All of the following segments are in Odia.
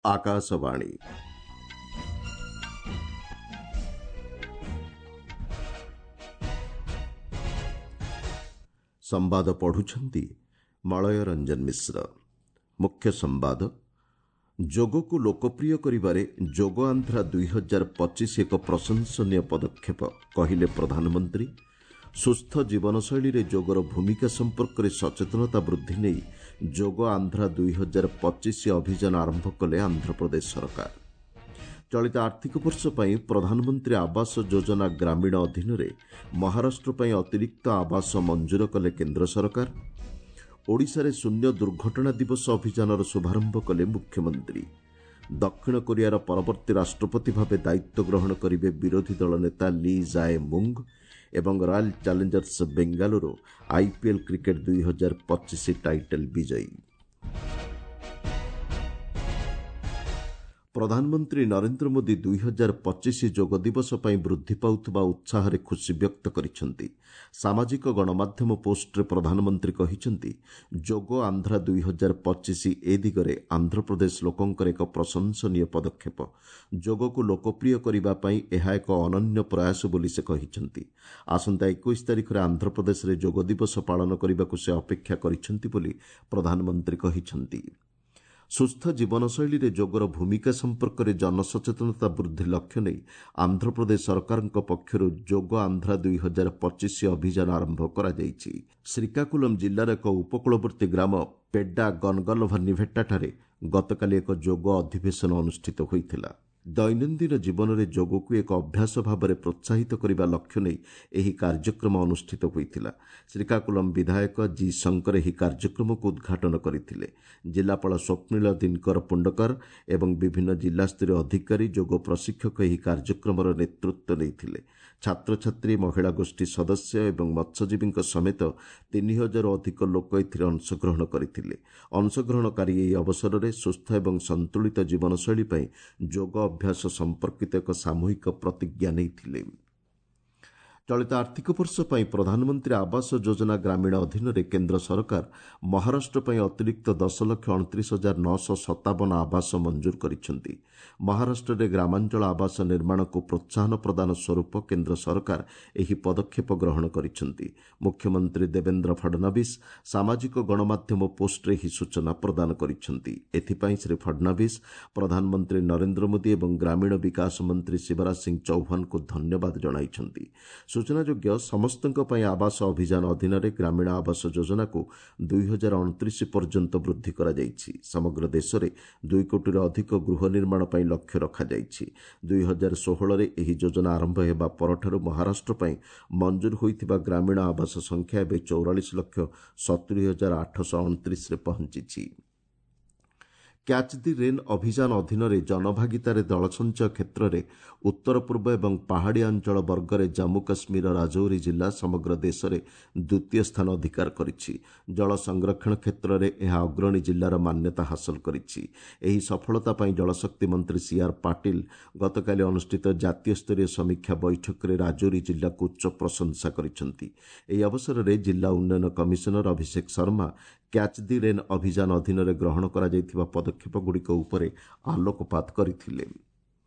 ଆକାଶବାଣୀ। ସମ୍ବାଦ ପଢୁଛନ୍ତି ମଳୟ ରଞ୍ଜନ ମିଶ୍ର। ମୁଖ୍ୟ ସମ୍ବାଦ, ଯୋଗକୁ ଲୋକପ୍ରିୟ କରିବାରେ ଯୋଗ ଆନ୍ଧ୍ରା 2025 ଏକ ପ୍ରଶଂସନୀୟ ପଦକ୍ଷେପ, କହିଲେ ପ୍ରଧାନମନ୍ତ୍ରୀ। ସୁସ୍ଥ ଜୀବନଶୈଳୀରେ ଯୋଗର ଭୂମିକା ସମ୍ପର୍କରେ ସଚେତନତା ବୃଦ୍ଧି ନେଇ ଯୋଗ ଆନ୍ଧ୍ରା 2025 ଅଭିଯାନ ଆରମ୍ଭ କଲେ ଆନ୍ଧ୍ରପ୍ରଦେଶ ସରକାର। ଚଳିତ ଆର୍ଥିକ ବର୍ଷ ପାଇଁ ପ୍ରଧାନମନ୍ତ୍ରୀ ଆବାସ ଯୋଜନା ଗ୍ରାମୀଣ ଅଧୀନରେ ମହାରାଷ୍ଟ୍ର ପାଇଁ ଅତିରିକ୍ତ ଆବାସ ମଞ୍ଜୁର କଲେ କେନ୍ଦ୍ର ସରକାର। ଓଡ଼ିଶାରେ ଶୂନ୍ୟ ଦୁର୍ଘଟଣା ଦିବସ ଅଭିଯାନର ଶୁଭାରମ୍ଭ କଲେ ମୁଖ୍ୟମନ୍ତ୍ରୀ। ଦକ୍ଷିଣ କୋରିଆର ପରବର୍ତ୍ତୀ ରାଷ୍ଟ୍ରପତି ଭାବେ ଦାୟିତ୍ୱ ଗ୍ରହଣ କରିବେ ବିରୋଧୀ ଦଳ ନେତା ଲି ଜାଏ ମୁଙ୍ଗ ଏବଂ Royal Challengers Bengaluru IPL cricket 2025 title ବିଜୟୀ। ପ୍ରଧାନମନ୍ତ୍ରୀ ନରେନ୍ଦ୍ର ମୋଦି 2025 ଯୋଗ ଦିବସ ପାଇଁ ବୃଦ୍ଧି ପାଉଥିବା ଉତ୍ସାହରେ ଖୁସି ବ୍ୟକ୍ତ କରିଛନ୍ତି। ସାମାଜିକ ଗଣମାଧ୍ୟମ ପୋଷ୍ଟରେ ପ୍ରଧାନମନ୍ତ୍ରୀ କହିଛନ୍ତି, ଯୋଗ ଆନ୍ଧ୍ରା 2025 ଏ ଦିଗରେ ଆନ୍ଧ୍ରପ୍ରଦେଶ ଲୋକଙ୍କର ଏକ ପ୍ରଶଂସନୀୟ ପଦକ୍ଷେପ। ଯୋଗକୁ ଲୋକପ୍ରିୟ କରିବା ପାଇଁ ଏହା ଏକ ଅନନ୍ୟ ପ୍ରୟାସ ବୋଲି ସେ କହିଛନ୍ତି। ଆସନ୍ତା 21 ତାରିଖରେ ଆନ୍ଧ୍ରପ୍ରଦେଶରେ ଯୋଗ ଦିବସ ପାଳନ କରିବାକୁ ସେ ଅପେକ୍ଷା କରିଛନ୍ତି ବୋଲି ପ୍ରଧାନମନ୍ତ୍ରୀ କହିଛନ୍ତି। ସୁସ୍ଥ ଜୀବନଶୈଳୀରେ ଯୋଗର ଭୂମିକା ସମ୍ପର୍କରେ ଜନସଚେତନତା ବୃଦ୍ଧି ଲକ୍ଷ୍ୟ ନେଇ ଆନ୍ଧ୍ରପ୍ରଦେଶ ସରକାରଙ୍କ ପକ୍ଷରୁ ଯୋଗ ଆନ୍ଧ୍ରା 2025 ଅଭିଯାନ ଆରମ୍ଭ କରାଯାଇଛି। ଶ୍ରୀକାକୁଲମ ଜିଲ୍ଲାର ଏକ ଉପକୂଳବର୍ତ୍ତୀ ଗ୍ରାମ ପେଡ୍ଡା ଗନଗଲଭନିଭେଟ୍ଟାଠାରେ ଗତକାଲି ଏକ ଯୋଗ ଅଧିବେଶନ ଅନୁଷ୍ଠିତ ହୋଇଥିଲା। ଦୈନନ୍ଦିନ ଜୀବନରେ ଯୋଗକୁ ଏକ ଅଭ୍ୟାସ ଭାବରେ ପ୍ରୋତ୍ସାହିତ କରିବା ଲକ୍ଷ୍ୟ ନେଇ ଏହି କାର୍ଯ୍ୟକ୍ରମ ଅନୁଷ୍ଠିତ ହୋଇଥିଲା। ଶ୍ରୀକାକୁଲମ ବିଧାୟକ ଜି ଶଙ୍କର ଏହି କାର୍ଯ୍ୟକ୍ରମକୁ ଉଦ୍ଘାଟନ କରିଥିଲେ। ଜିଲ୍ଲାପାଳ ସ୍ୱପ୍ନିଳ ଦିନକର ପୁଣ୍ଡକର ଏବଂ ବିଭିନ୍ନ ଜିଲ୍ଲାସ୍ତରୀୟ ଅଧିକାରୀ, ଯୋଗ ପ୍ରଶିକ୍ଷକ ଏହି କାର୍ଯ୍ୟକ୍ରମର ନେତୃତ୍ୱ ନେଇଥିଲେ। ଛାତ୍ରଛାତ୍ରୀ, ମହିଳା ଗୋଷ୍ଠୀ ସଦସ୍ୟ ଏବଂ ମତ୍ସ୍ୟଜୀବୀଙ୍କ ସମେତ 3000ରୁ ଅଧିକ ଲୋକ ଏଥିରେ ଅଂଶଗ୍ରହଣ କରିଥିଲେ। ଅଂଶଗ୍ରହଣକାରୀ ଏହି ଅବସରରେ ସୁସ୍ଥ ଏବଂ ସନ୍ତୁଳିତ ଜୀବନଶୈଳୀ ପାଇଁ ଯୋଗ ଅଭ୍ୟାସ ସମ୍ପର୍କିତ ଏକ ସାମୂହିକ ପ୍ରତିଜ୍ଞା ନେଇଥିଲେ। ଚଳିତ ଆର୍ଥିକ ବର୍ଷ ପାଇଁ ପ୍ରଧାନମନ୍ତ୍ରୀ ଆବାସ ଯୋଜନା ଗ୍ରାମୀଣ ଅଧୀନରେ କେନ୍ଦ୍ର ସରକାର ମହାରାଷ୍ଟ୍ର ପାଇଁ ଅତିରିକ୍ତ 10,29,957 ଆବାସ ମଞ୍ଜୁର କରିଛନ୍ତି। ମହାରାଷ୍ଟ୍ରରେ ଗ୍ରାମାଞ୍ଚଳ ଆବାସ ନିର୍ମାଣକୁ ପ୍ରୋତ୍ସାହନ ପ୍ରଦାନ ସ୍ୱରୂପ କେନ୍ଦ୍ର ସରକାର ଏହି ପଦକ୍ଷେପ ଗ୍ରହଣ କରିଛନ୍ତି। ମୁଖ୍ୟମନ୍ତ୍ରୀ ଦେବେନ୍ଦ୍ର ଫଡନାବିସ୍ ସାମାଜିକ ଗଣମାଧ୍ୟମ ପୋଷ୍ଟରେ ଏହି ସୂଚନା ପ୍ରଦାନ କରିଛନ୍ତି। ଏଥିପାଇଁ ଶ୍ରୀ ଫଡନାବିସ୍ ପ୍ରଧାନମନ୍ତ୍ରୀ ନରେନ୍ଦ୍ର ମୋଦି ଏବଂ ଗ୍ରାମୀଣ ବିକାଶ ମନ୍ତ୍ରୀ ଶିବରାଜ ସିଂ ଚୌହାନଙ୍କୁ ଧନ୍ୟବାଦ ଜଣାଇଛନ୍ତି। ସୂଚନାଯୋଗ୍ୟ, ସମସ୍ତଙ୍କ ପାଇଁ ଆବାସ ଅଭିଯାନ ଅଧୀନରେ ଗ୍ରାମୀଣ ଆବାସ ଯୋଜନାକୁ 2029 ପର୍ଯ୍ୟନ୍ତ ବୃଦ୍ଧି କରାଯାଇଛି। ସମଗ୍ର ଦେଶରେ 2 କୋଟିରୁ ଅଧିକ ଗୃହ ନିର୍ମାଣ ପାଇଁ ଲକ୍ଷ୍ୟ ରଖାଯାଇଛି। 2016ରେ ଏହି ଯୋଜନା ଆରମ୍ଭ ହେବା ପରଠାରୁ ମହାରାଷ୍ଟ୍ର ପାଇଁ ମଞ୍ଜୁର ହୋଇଥିବା ଗ୍ରାମୀଣ ଆବାସ ସଂଖ୍ୟା ଏବେ 44,70,829ରେ ପହଞ୍ଚିଛି। କ୍ୟାଚ୍ ଦି ରେନ୍ ଅଭିଯାନ ଅଧୀନରେ ଜନଭାଗିତାରେ ଜଳସଞ୍ଚୟ କ୍ଷେତ୍ରରେ ଉତ୍ତର ପୂର୍ବ ଏବଂ ପାହାଡ଼ିଆ ଅଞ୍ଚଳ ବର୍ଗରେ ଜାମ୍ମୁ କାଶ୍ମୀରର ରାଜୌରୀ ଜିଲ୍ଲା ସମଗ୍ର ଦେଶରେ ଦ୍ୱିତୀୟ ସ୍ଥାନ ଅଧିକାର କରିଛି। ଜଳ ସଂରକ୍ଷଣ କ୍ଷେତ୍ରରେ ଏହା ଅଗ୍ରଣୀ ଜିଲ୍ଲାର ମାନ୍ୟତା ହାସଲ କରିଛି। ଏହି ସଫଳତା ପାଇଁ ଜଳଶକ୍ତି ମନ୍ତ୍ରୀ ସି ଆର୍ ପାଟିଲ ଗତକାଲି ଅନୁଷ୍ଠିତ ଜାତୀୟ ସ୍ତରୀୟ ସମୀକ୍ଷା ବୈଠକରେ ରାଜୌରୀ ଜିଲ୍ଲାକୁ ଉଚ୍ଚ ପ୍ରଶଂସା କରିଛନ୍ତି। ଏହି ଅବସରରେ ଜିଲ୍ଲା ଉନ୍ନୟନ commissioner Abhishek Sharma catch the rain ଅଭିଯାନ ଅଧୀନରେ ଗ୍ରହଣ କରାଯାଇଥିବା ପଦକ୍ଷେପଗୁଡ଼ିକ ଉପରେ ଆଲୋକପାତ କରିଥିଲେ।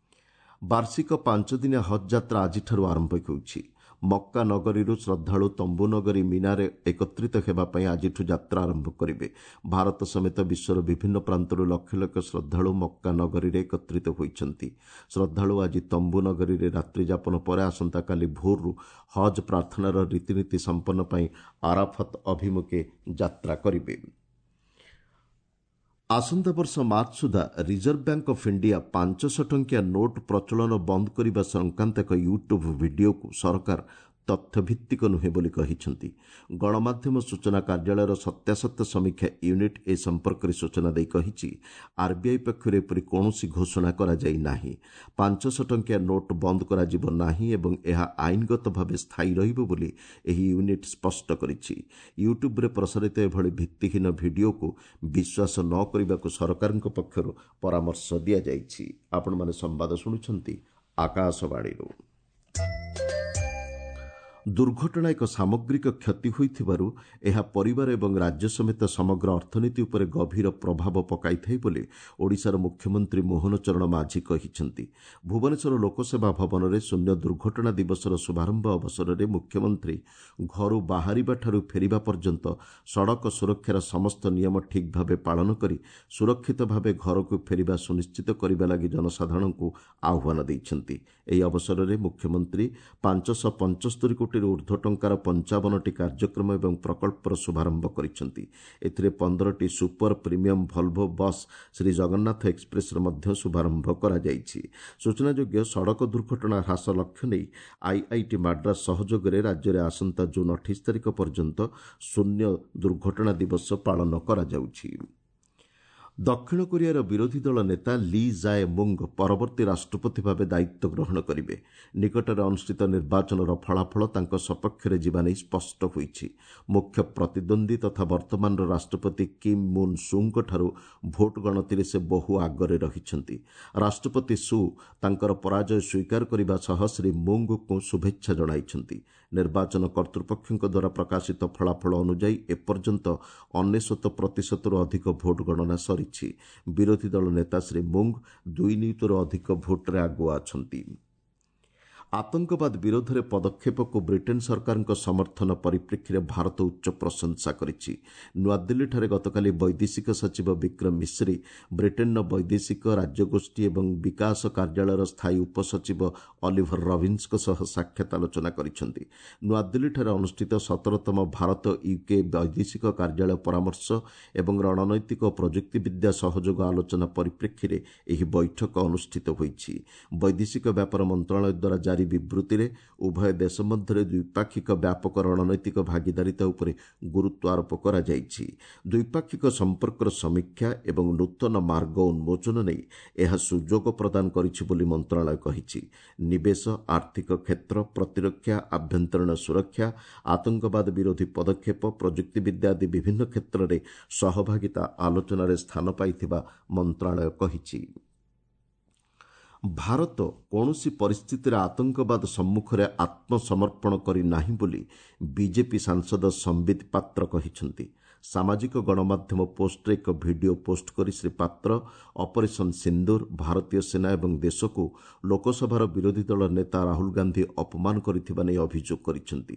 ବାର୍ଷିକ ପାଞ୍ଚଦିନିଆ ହଜ୍ ଯାତ୍ରା ଆଜିଠାରୁ ଆରମ୍ଭ ହେଉଛି। ମକ୍କା ନଗରୀରୁ ଶ୍ରଦ୍ଧାଳୁ ତମ୍ବୁ ନଗରୀ ମିନାରେ ଏକତ୍ରିତ ହେବା ପାଇଁ ଆଜିଠୁ ଯାତ୍ରା ଆରମ୍ଭ କରିବେ। ଭାରତ ସମେତ ବିଶ୍ୱର ବିଭିନ୍ନ ପ୍ରାନ୍ତରୁ ଲକ୍ଷ ଲକ୍ଷ ଶ୍ରଦ୍ଧାଳୁ ମକ୍କା ନଗରୀରେ ଏକତ୍ରିତ ହୋଇଛନ୍ତି। ଶ୍ରଦ୍ଧାଳୁ ଆଜି ତମ୍ବୁ ନଗରୀରେ ରାତ୍ରିଯାପନ ପରେ ଆସନ୍ତାକାଲି ଭୋରରୁ ହଜ୍ ପ୍ରାର୍ଥନାର ରୀତିନୀତି ସମ୍ପନ୍ନ ପାଇଁ ଆରାଫତ ଅଭିମୁଖେ ଯାତ୍ରା କରିବେ। ଆସନ୍ତା ବର୍ଷ ମାର୍ଚ୍ଚ ସୁଦ୍ଧା ରିଜର୍ଭ ବ୍ୟାଙ୍କ ଅଫ୍ ଇଣ୍ଡିଆ 500 ଟଙ୍କିଆ ନୋଟ୍ ପ୍ରଚଳନ ବନ୍ଦ କରିବା ସଂକ୍ରାନ୍ତ ଏକ ୟୁଟ୍ୟୁବ୍ ଭିଡିଓକୁ ସରକାର ତଥ୍ୟଭିତ୍ତିକ ନୁହେଁ ବୋଲି କହିଛନ୍ତି। ଗଣମାଧ୍ୟମ ସୂଚନା କାର୍ଯ୍ୟାଳୟର ସତ୍ୟାସତ୍ୟ ସମୀକ୍ଷା ୟୁନିଟ୍ ଏ ସମ୍ପର୍କରେ ସୂଚନା ଦେଇ କହିଛି, ଆର୍ବିଆଇ ପକ୍ଷରୁ ଏପରି କୌଣସି ଘୋଷଣା କରାଯାଇ ନାହିଁ। 500 ଟଙ୍କିଆ ନୋଟ୍ ବନ୍ଦ କରାଯିବ ନାହିଁ ଏବଂ ଏହା ଆଇନଗତ ଭାବେ ସ୍ଥାୟୀ ରହିବ ବୋଲି ଏହି ୟୁନିଟ୍ ସ୍ପଷ୍ଟ କରିଛି। ୟୁଟ୍ୟୁବ୍ରେ ପ୍ରସାରିତ ଏଭଳି ଭିତ୍ତିହୀନ ଭିଡିଓକୁ ବିଶ୍ୱାସ ନ କରିବାକୁ ସରକାରଙ୍କ ପକ୍ଷରୁ ପରାମର୍ଶ ଦିଆଯାଇଛି। ଆପଣମାନେ ସମ୍ବାଦ ଶୁଣୁଛନ୍ତି ଆକାଶବାଣୀରୁ। ଦୁର୍ଘଟଣା ଏକ ସାମଗ୍ରିକ କ୍ଷତି ହୋଇଥିବାରୁ ଏହା ପରିବାର ଏବଂ ରାଜ୍ୟ ସମେତ ସମଗ୍ର ଅର୍ଥନୀତି ଉପରେ ଗଭୀର ପ୍ରଭାବ ପକାଇଥାଏ ବୋଲି ଓଡ଼ିଶାର ମୁଖ୍ୟମନ୍ତ୍ରୀ ମୋହନ ଚରଣ ମାଝୀ କହିଛନ୍ତି। ଭୁବନେଶ୍ୱର ଲୋକସେବା ଭବନରେ ଶୂନ୍ୟ ଦୁର୍ଘଟଣା ଦିବସର ଶୁଭାରମ୍ଭ ଅବସରରେ ମୁଖ୍ୟମନ୍ତ୍ରୀ ଘରୁ ବାହାରିବାଠାରୁ ଫେରିବା ପର୍ଯ୍ୟନ୍ତ ସଡ଼କ ସୁରକ୍ଷାର ସମସ୍ତ ନିୟମ ଠିକ୍ ଭାବେ ପାଳନ କରି ସୁରକ୍ଷିତ ଭାବେ ଘରକୁ ଫେରିବା ସୁନିଶ୍ଚିତ କରିବା ଲାଗି ଜନସାଧାରଣଙ୍କୁ ଆହ୍ୱାନ ଦେଇଛନ୍ତି। ଏହି ଅବସରରେ ମୁଖ୍ୟମନ୍ତ୍ରୀ 575 କୋଟିରୁ ଉର୍ଦ୍ଧ୍ୱ ଟଙ୍କାର 55ଟି କାର୍ଯ୍ୟକ୍ରମ ଏବଂ ପ୍ରକଳ୍ପର ଶୁଭାରମ୍ଭ କରିଛନ୍ତି। ଏଥିରେ 15ଟି super premium Volvo bus Shri Jagannath ଏକ୍ସପ୍ରେସ୍ର ମଧ୍ୟ ଶୁଭାରମ୍ଭ କରାଯାଇଛି। ସୂଚନାଯୋଗ୍ୟ, ସଡ଼କ ଦୁର୍ଘଟଣା ହ୍ରାସ ଲକ୍ଷ୍ୟ ନେଇ ଆଇଆଇଟି ମାଡ୍ରାସ ସହଯୋଗରେ ରାଜ୍ୟରେ ଆସନ୍ତା ଜୁନ୍ 28 ତାରିଖ ପର୍ଯ୍ୟନ୍ତ ଶୂନ୍ୟ ଦୁର୍ଘଟଣା ଦିବସ ପାଳନ କରାଯାଉଛି। ଦକ୍ଷିଣ କୋରିଆର ବିରୋଧୀ ଦଳ ନେତା ଲି ଜାଏ ମୁଙ୍ଗ ପରବର୍ତ୍ତୀ ରାଷ୍ଟ୍ରପତି ଭାବେ ଦାୟିତ୍ୱ ଗ୍ରହଣ କରିବେ। ନିକଟରେ ଅନୁଷ୍ଠିତ ନିର୍ବାଚନର ଫଳାଫଳ ତାଙ୍କ ସପକ୍ଷରେ ଯିବା ନେଇ ସ୍ପଷ୍ଟ ହୋଇଛି। ମୁଖ୍ୟ ପ୍ରତିଦ୍ୱନ୍ଦ୍ୱୀ ତଥା ବର୍ତ୍ତମାନର ରାଷ୍ଟ୍ରପତି କିମ୍ ମୁନ୍ ସୁଙ୍କଠାରୁ ଭୋଟ ଗଣତିରେ ସେ ବହୁ ଆଗରେ ରହିଛନ୍ତି। ରାଷ୍ଟ୍ରପତି ସୁ ତାଙ୍କର ପରାଜୟ ସ୍ୱୀକାର କରିବା ସହ ଶ୍ରୀ ମୁଙ୍ଗଙ୍କୁ ଶୁଭେଚ୍ଛା ଜଣାଇଛନ୍ତି। ନିର୍ବାଚନ କର୍ତ୍ତୃପକ୍ଷଙ୍କ ଦ୍ୱାରା ପ୍ରକାଶିତ ଫଳାଫଳ ଅନୁଯାୟୀ ଏପର୍ଯ୍ୟନ୍ତ 99 ପ୍ରତିଶତରୁ ଅଧିକ ଭୋଟ ଗଣନା ସରିଛି। ବିରୋଧୀ ଦଳ ନେତା ଶ୍ରୀ ମୁଙ୍ଗ 2 ନିୟୁତରୁ ଅଧିକ ଭୋଟରେ ଆଗୁଆ ଅଛନ୍ତି। ଆତଙ୍କବାଦ ବିରୋଧରେ ପଦକ୍ଷେପକୁ ବ୍ରିଟେନ୍ ସରକାରଙ୍କ ସମର୍ଥନ ପରିପ୍ରେକ୍ଷୀରେ ଭାରତ ଉଚ୍ଚ ପ୍ରଶଂସା କରିଛି। ନୂଆଦିଲ୍ଲୀଠାରେ ଗତକାଲି ବୈଦେଶିକ ସଚିବ ବିକ୍ରମ ମିଶ୍ରି ବ୍ରିଟେନ୍ର ବୈଦେଶିକ ରାଜ୍ୟଗୋଷ୍ଠୀ ଏବଂ ବିକାଶ କାର୍ଯ୍ୟାଳୟର ସ୍ଥାୟୀ ଉପସଚିବ ଅଲିଭର ରବିନ୍ସଙ୍କ ସହ ସାକ୍ଷାତ ଆଲୋଚନା କରିଛନ୍ତି। ନୂଆଦିଲ୍ଲୀଠାରେ ଅନୁଷ୍ଠିତ 17ତମ ଭାରତ ୟୁକେ ବୈଦେଶିକ କାର୍ଯ୍ୟାଳୟ ପରାମର୍ଶ ଏବଂ ରଣନୈତିକ ଓ ପ୍ରଯୁକ୍ତିବିଦ୍ୟା ସହଯୋଗ ଆଲୋଚନା ପରିପ୍ରେକ୍ଷୀରେ ଏହି ବୈଠକ ଅନୁଷ୍ଠିତ ହୋଇଛି। ବୈଦେଶିକ ବ୍ୟାପାର ମନ୍ତ୍ରଣାଳୟ ଦ୍ୱାରା ଜାରି ବିବୃତ୍ତିରେ ଉଭୟ ଦେଶ ମଧ୍ୟରେ ଦ୍ୱିପାକ୍ଷିକ ବ୍ୟାପକ ରଣନୈତିକ ଭାଗିଦାରିତା ଉପରେ ଗୁରୁତ୍ୱ ଆରୋପ କରାଯାଇଛି। ଦ୍ୱିପାକ୍ଷିକ ସମ୍ପର୍କର ସମୀକ୍ଷା ଏବଂ ନୂତନ ମାର୍ଗ ଉନ୍ମୋଚନ ନେଇ ଏହା ସୁଯୋଗ ପ୍ରଦାନ କରିଛି ବୋଲି ମନ୍ତ୍ରଣାଳୟ କହିଛି। ନିବେଶ, ଆର୍ଥିକ କ୍ଷେତ୍ର, ପ୍ରତିରକ୍ଷା, ଆଭ୍ୟନ୍ତରୀଣ ସୁରକ୍ଷା, ଆତଙ୍କବାଦ ବିରୋଧୀ ପଦକ୍ଷେପ, ପ୍ରଯୁକ୍ତିବିଦ୍ୟା ଆଦି ବିଭିନ୍ନ କ୍ଷେତ୍ରରେ ସହଭାଗିତା ଆଲୋଚନାରେ ସ୍ଥାନ ପାଇଥିବା ମନ୍ତ୍ରଣାଳୟ କହିଛି। ଭାରତ କୌଣସି ପରିସ୍ଥିତିରେ ଆତଙ୍କବାଦ ସମ୍ମୁଖରେ ଆତ୍ମସମର୍ପଣ କରିନାହିଁ ବୋଲି ବିଜେପି ସାଂସଦ ସମ୍ବିତ ପାତ୍ର କହିଛନ୍ତି। ସାମାଜିକ ଗଣମାଧ୍ୟମ ପୋଷ୍ଟରେ ଏକ ଭିଡିଓ ପୋଷ୍ଟ କରି ଶ୍ରୀ ପାତ୍ର ଅପରେସନ୍ ସିନ୍ଦୁର, ଭାରତୀୟ ସେନା ଏବଂ ଦେଶକୁ ଲୋକସଭାର ବିରୋଧୀ ଦଳ ନେତା ରାହୁଲ ଗାନ୍ଧୀ ଅପମାନ କରିଥିବା ନେଇ ଅଭିଯୋଗ କରିଛନ୍ତି।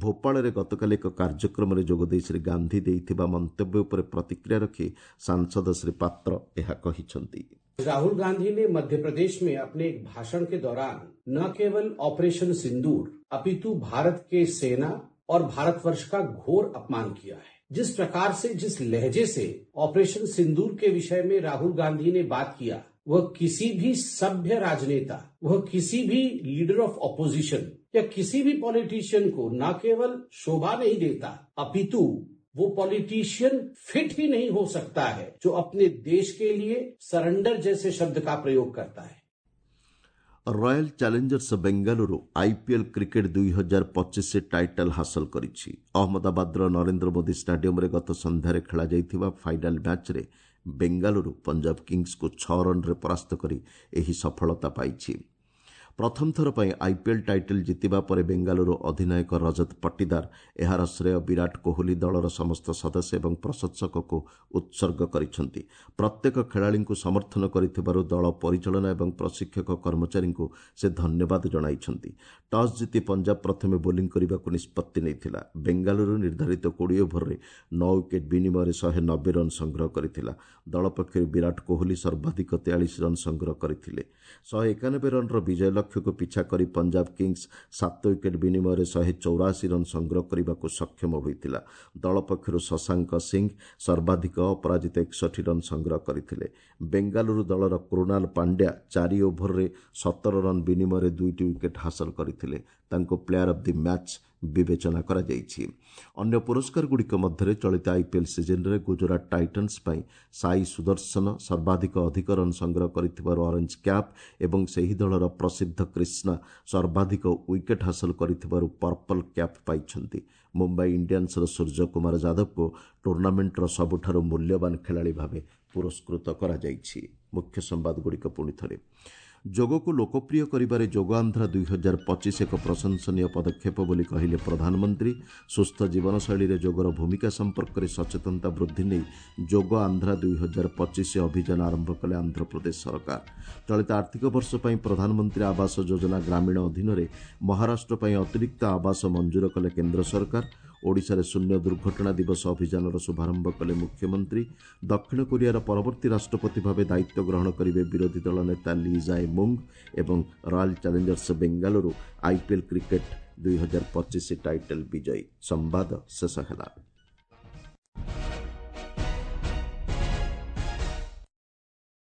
ଭୋପାଳରେ ଗତକାଲି ଏକ କାର୍ଯ୍ୟକ୍ରମରେ ଯୋଗଦେଇ ଶ୍ରୀ ଗାନ୍ଧୀ ଦେଇଥିବା ମନ୍ତବ୍ୟ ଉପରେ ପ୍ରତିକ୍ରିୟା ରଖି ସାଂସଦ ଶ୍ରୀ ପାତ୍ର ଏହା କହିଛନ୍ତି। राहुल गांधी ने मध्य प्रदेश में अपने एक भाषण के दौरान न केवल ऑपरेशन सिंदूर, अपितु भारत के सेना और भारतवर्ष का घोर अपमान किया है। जिस प्रकार से, जिस लहजे से ऑपरेशन सिंदूर के विषय में राहुल गांधी ने बात किया, वह किसी भी सभ्य राजनेता, वह किसी भी लीडर ऑफ ऑपोजिशन या किसी भी पॉलिटिशियन को न केवल शोभा नहीं देता, अपितु वो पॉलिटिशियन फिट ही नहीं हो सकता है जो अपने देश के लिए सरेंडर जैसे शब्द का प्रयोग करता है। Royal challengers Bengaluru IPL cricket 2025 title ହାସଲ କରିଛି। ଅହମ୍ମଦାବାଦର ନରେନ୍ଦ୍ର ମୋଦି ଷ୍ଟାଡିୟମରେ ଗତ ସନ୍ଧ୍ୟାରେ ଖେଳାଯାଇଥିବା ଫାଇନାଲ୍ ମ୍ୟାଚ୍ରେ ବେଙ୍ଗାଲୁରୁ ପଞ୍ଜାବ କିଙ୍ଗସ୍କୁ 6 ରନ୍ରେ ପରାସ୍ତ କରି ଏହି ସଫଳତା ପାଇଛି। ପ୍ରଥମ ଥର ପାଇଁ ଆଇପିଏଲ୍ ଟାଇଟଲ୍ ଜିତିବା ପରେ ବେଙ୍ଗାଲୁରୁ ଅଧିନାୟକ ରଜତ ପଟିଦାର ଏହାର ଶ୍ରେୟ ବିରାଟ କୋହଲି, ଦଳର ସମସ୍ତ ସଦସ୍ୟ ଏବଂ ପ୍ରଶଂସକଙ୍କୁ ଉତ୍ସର୍ଗ କରିଛନ୍ତି। ପ୍ରତ୍ୟେକ ଖେଳାଳିଙ୍କୁ ସମର୍ଥନ କରିଥିବାରୁ ଦଳ ପରିଚାଳନା ଏବଂ ପ୍ରଶିକ୍ଷକ କର୍ମଚାରୀଙ୍କୁ ସେ ଧନ୍ୟବାଦ ଜଣାଇଛନ୍ତି। ଟସ୍ ଜିତି ପଞ୍ଜାବ ପ୍ରଥମେ ବୋଲିଂ କରିବାକୁ ନିଷ୍ପତ୍ତି ନେଇଥିଲା। ବେଙ୍ଗାଲୁରୁ ନିର୍ଦ୍ଧାରିତ 20 ଓଭରରେ 9 ୱିକେଟ୍ ବିନିମୟରେ 190 ରନ୍ ସଂଗ୍ରହ କରିଥିଲା। ଦଳ ପକ୍ଷରୁ ବିରାଟ କୋହଲି ସର୍ବାଧିକ 43 ରନ୍ ସଂଗ୍ରହ କରିଥିଲେ। 191 ରନ୍ର ବିଜୟ ଲକ୍ଷ୍ୟକୁ ପିଛା କରି ପଞ୍ଜାବ କିଙ୍ଗସ୍ 7 ୱିକେଟ୍ ବିନିମୟରେ 184 ରନ୍ ସଂଗ୍ରହ କରିବାକୁ ସକ୍ଷମ ହୋଇଥିଲା। ଦଳ ପକ୍ଷରୁ ଶଶାଙ୍କ ସିଂ ସର୍ବାଧିକ ଅପରାଜିତ 61 ରନ୍ ସଂଗ୍ରହ କରିଥିଲେ। ବେଙ୍ଗାଲୁରୁ ଦଳର କୃଣାଲ ପାଣ୍ଡ୍ୟା 4 ଓଭରରେ 17 ରନ୍ ବିନିମୟରେ ଦୁଇଟି ୱିକେଟ୍ ହାସଲ କରିଥିଲେ। ତାଙ୍କୁ ପ୍ଲେୟାର ଅଫ୍ the match ବିବେଚନା କରାଯାଇଛି। ଅନ୍ୟ ପୁରସ୍କାରଗୁଡ଼ିକ ମଧ୍ୟରେ ଚଳିତ ଆଇପିଏଲ୍ ସିଜିନ୍ରେ ଗୁଜରାଟ ଟାଇଟନ୍ସ ପାଇଁ ସାଇ ସୁଦର୍ଶନ ସର୍ବାଧିକ ଅଧିକ ରନ୍ ସଂଗ୍ରହ କରିଥିବାରୁ ଅରେଞ୍ଜ କ୍ୟାପ୍ ଏବଂ ସେହି ଦଳର ପ୍ରସିଦ୍ଧ କ୍ରିଷ୍ଣା ସର୍ବାଧିକ ୱିକେଟ୍ ହାସଲ କରିଥିବାରୁ ପର୍ପଲ୍ କ୍ୟାପ୍ ପାଇଛନ୍ତି। ମୁମ୍ବାଇ ଇଣ୍ଡିଆନ୍ସର ସୂର୍ଯ୍ୟକୁମାର ଯାଦବଙ୍କୁ ଟୁର୍ଣ୍ଣାମେଣ୍ଟର ସବୁଠାରୁ ମୂଲ୍ୟବାନ ଖେଳାଳି ଭାବେ ପୁରସ୍କୃତ କରାଯାଇଛି। ମୁଖ୍ୟ ସମ୍ବାଦଗୁଡ଼ିକ ପୁଣି ଥରେ। ଯୋଗକୁ ଲୋକପ୍ରିୟ କରିବାରେ ଯୋଗ ଆନ୍ଧ୍ରା 2025 ଏକ ପ୍ରଶଂସନୀୟ ପଦକ୍ଷେପ ବୋଲି କହିଲେ ପ୍ରଧାନମନ୍ତ୍ରୀ। ସୁସ୍ଥ ଜୀବନଶୈଳୀରେ ଯୋଗର ଭୂମିକା ସମ୍ପର୍କରେ ସଚେତନତା ବୃଦ୍ଧି ନେଇ ଯୋଗ ଆନ୍ଧ୍ରା 2025 ଅଭିଯାନ ଆରମ୍ଭ କଲେ ଆନ୍ଧ୍ରପ୍ରଦେଶ ସରକାର। ଚଳିତ ଆର୍ଥିକ ବର୍ଷ ପାଇଁ ପ୍ରଧାନମନ୍ତ୍ରୀ ଆବାସ ଯୋଜନା ଗ୍ରାମୀଣ ଅଧୀନରେ ମହାରାଷ୍ଟ୍ର ପାଇଁ ଅତିରିକ୍ତ ଆବାସ ମଞ୍ଜୁର କଲେ କେନ୍ଦ୍ର ସରକାର। ଓଡ଼ିଶାରେ ଶୂନ୍ୟ ଦୁର୍ଘଟଣା ଦିବସ ଅଭିଯାନର ଶୁଭାରମ୍ଭ କଲେ ମୁଖ୍ୟମନ୍ତ୍ରୀ। ଦକ୍ଷିଣ କୋରିଆର ପରବର୍ତ୍ତୀ ରାଷ୍ଟ୍ରପତି ଭାବେ ଦାୟିତ୍ୱ ଗ୍ରହଣ କରିବେ ବିରୋଧୀ ଦଳ ନେତା ଲି ଜାଏ ମୁଙ୍ଗ। ଏବଂ Royal Challengers Bengaluru IPL cricket 2025 title ବିଜୟୀ। ସମ୍ବାଦ ଶେଷ ହେଲା।